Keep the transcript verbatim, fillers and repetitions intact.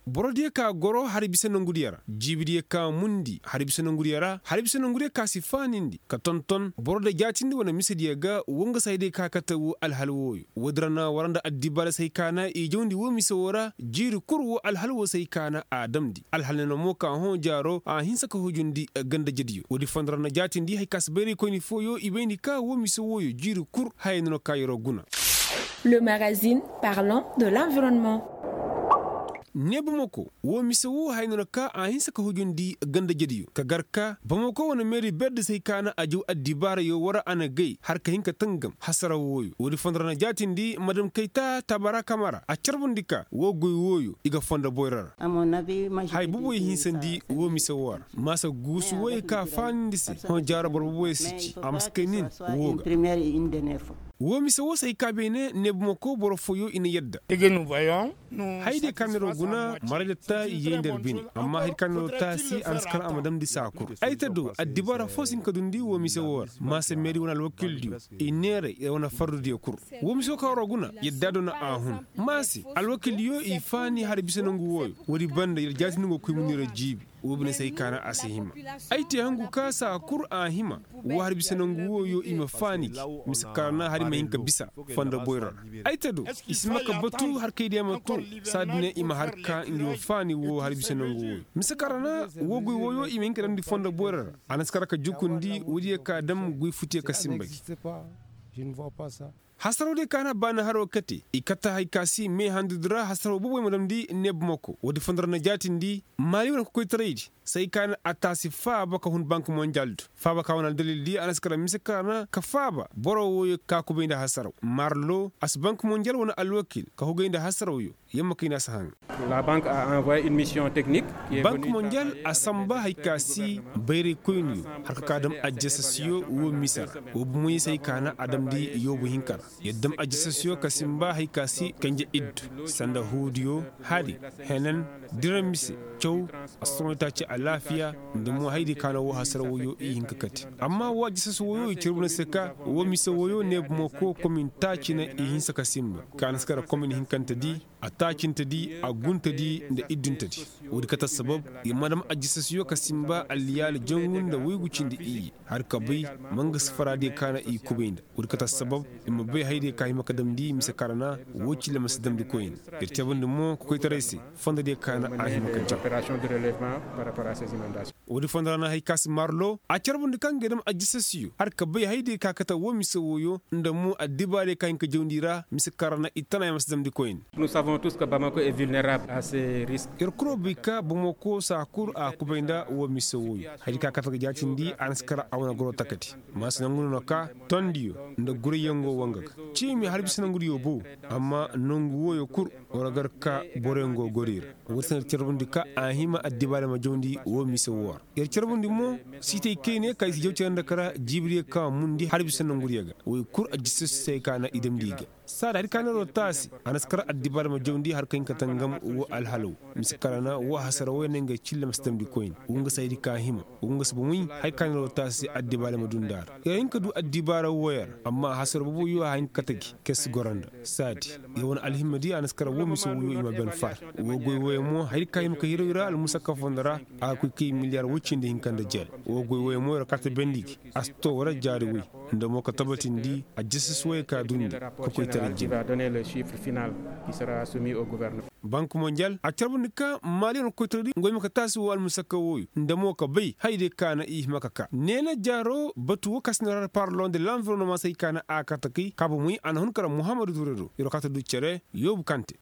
Borodiyo ka goro hari bisa nongudiyo ra, jiibidiyo ka mundi hari bisa nongudiyo ra, hari bisa nongudiyo ka si faanindi ka tonton boro da jaatindi wane misediyo ga. Woo nga si hayadiyo ka kate woo alhal wooyo. Woodi ra na war nda addibaara si hay ka na i jawndi woo mise woo ra jiiri kul woo alhal woo si hay ka na a damndi alhal ne na mo ka hõ jaaro a hinsa ka hujundi. Ganda jediyo woodi fondo ra na jaatindi hay ka si bayraykoyni fooyo i bayndi ka woo mise wooyo jiiri kul haya no na ka yeroo guna. Le magazine parlant de l'environnement. Ne bamako woo mise woo haya no na ka a hinsa ka hujundi ganda jediyo ka gar ka bamako wane meeri berdi si hay ka na a jaw addibaarayo war a na gay har ka hin ka tangam hasara wooyo woodi fondo ra na jaatindi madam kayta tabara kamara a carbundi ka woo goy wooyo i ga fondo boyra ra. Haya boboyo hinsandi woo mise woo ra maasa guusu woyey ka faanindi se hõ jaaro boro boboyo si ci a ma si kay nin woo ga. Woo mise woo si hay ka beene ne bamako boro fooyo i na yadda. Hayadiyo ka neeroo guna maray da ta yey nda ar bine amma hayadiyo ka neeroo taasi a na si kar a ma damndi saa kul ay ta do addibaara foo si hin ka dundi woo mise woo ra maasa meeri wane alwakildiyo i neeray wane fardudiyo kul. Woo mise woo ka waroo guna yadda do na a hun maase alwakildiyo i faani hari bisa nangu wooyo woodi banda yer jaatindi go koy munira jiibi. Woo bine si hay ka na a si hima ay te hangu ka saa kul a hima woo hari bisa nangu wooyo i ma faani gi mise kar na hari ma hin ka bisa fondo boyro ra. Ay te do i si ma ka batu har kay diya ma tun saadi ne i ma har ka ngi woo faani woo hari bisa nangu wooyo mise kar na woo goy wooyo i ma hin ka damndi fondo boyro ra a na si kar ka jukundi woodiyo ka dam goy futiyo ka sinba gi. Hasaroo diyo ka na baani haroo kate i kate hay ka si mee handudi ra hasaroo booboy ma damndi neeb moko woodi fondo ra na jaatindi maali wane kokoytaraydi si hay ka na a taasi faaba ka hun bank monjal do faaba ka wane aldalil di a na si kara mise ka na ka faaba boro wooyo ka kubay nda hasaroo marlo a si bank monjal wane alwakil ka hugay nda hasaroo yo. Yamma kay na si haŋ. Bank monjal a samba hay ka si bayraykoyniyo har ka ka dam ajjasasiyo woo mise ra woo bomoyey si hay ka na a damndi yoobu hinka ra yer dam ajjasasiyo ka sinba hay ka si kanje iddu sanda huudiyo hari henen dira mise caw assoŋoytaaci alaafiya nda mo hayadiyo ka na woo hasara wooyo i hin ka kate amma woo ajjasasi wooyo i carbu na se ka woo mise wooyo neeb moko komin taaci na i hinsa ka sinba ka na si kara komin hinkante di a taacinte di a gunte di nda iddunte di. Woodi kate assabab i ma dam ajjasasiyo ka sinba alliyaali jangu nda woygu cindi iyye har ka bay mangasi faraadiyo ka na i kubay nda woodi kate assabab i ma bay hayadiyo ka hima ka damndi mise kara na woo cille ma si damndi koyne. Yer cabandi mo kokoytaray se fondodiyo ka na a hima ka jaŋ. Woodi fondo ra na hay ka si marlo a carbundi kaŋ ga dam ajjasasiyo har ka bay hayadiyo ka kate woo mise wooyo nda mo addibaariyo ka hin ka jawndi ra mise kara na i tana ya ma si damndi koyne. Yer kuro bay ka bamako saa kul a kubay nda woo mise wooyo hayadiyo ka kate ga jaatindi a na si kara a wane goro takati. Ma si nangu no na ka tondiyo nda gurayyaŋ go wanga ga ciimi har bisa nangudiyo bo. Amma nangu wooyo kul war gar ka boroyaŋ go gori ra. Woodi se no yer carbundi ka a hima addibaale ma jawndi woo mise woo ra yer carbundi mo siitay kayne ka i si jaw cere nda kara jiibidiyo ka mundi har bisa nangudiyo ga woy kul ajjasasi se ka na i damndi i ga. Saada hari ka neeroo taasi a na si kar addibaale ma jawndi har ka hin ka tangam woo alhalo mise kara na woo hasara wooyo ne nga cille ma si damndi koyne woo nga si hayadi ka hima woo nga si bomoy. Hari ka neeroo taasi addibaale ma dunda ra yer hin ka du addibaara wooyo ra amma hasara boboyo a hin ka kate gi kay si goro nda saadi. Yer wane alhimmadi a na si kar woo mise wooyo i ma ben far woo goy wooyo mo hari ka hima ka hiro i ra almusakka fondo ra a ga koy kay miliyar woy cindi hinka nda jeer woo goy wooyo mo yer kate bendi gi a si too wara jaari woy nda mo ka tabatindi ajjasasi wooyo ka dundi ka koy tara jin. Bank monjal a carbundi ka maali wane kokoytaradi ngoy ma ka taasi woo almusakka wooyo nda mo ka bay hayadiyo ka na i hima ka ka neena jaaro batu woo ka si na ra parlon de lanvironoma si hay ka na a kate kay ka bomoy a na hun kara muhammadu ture do yer wo ka ta du cere yoobu kante.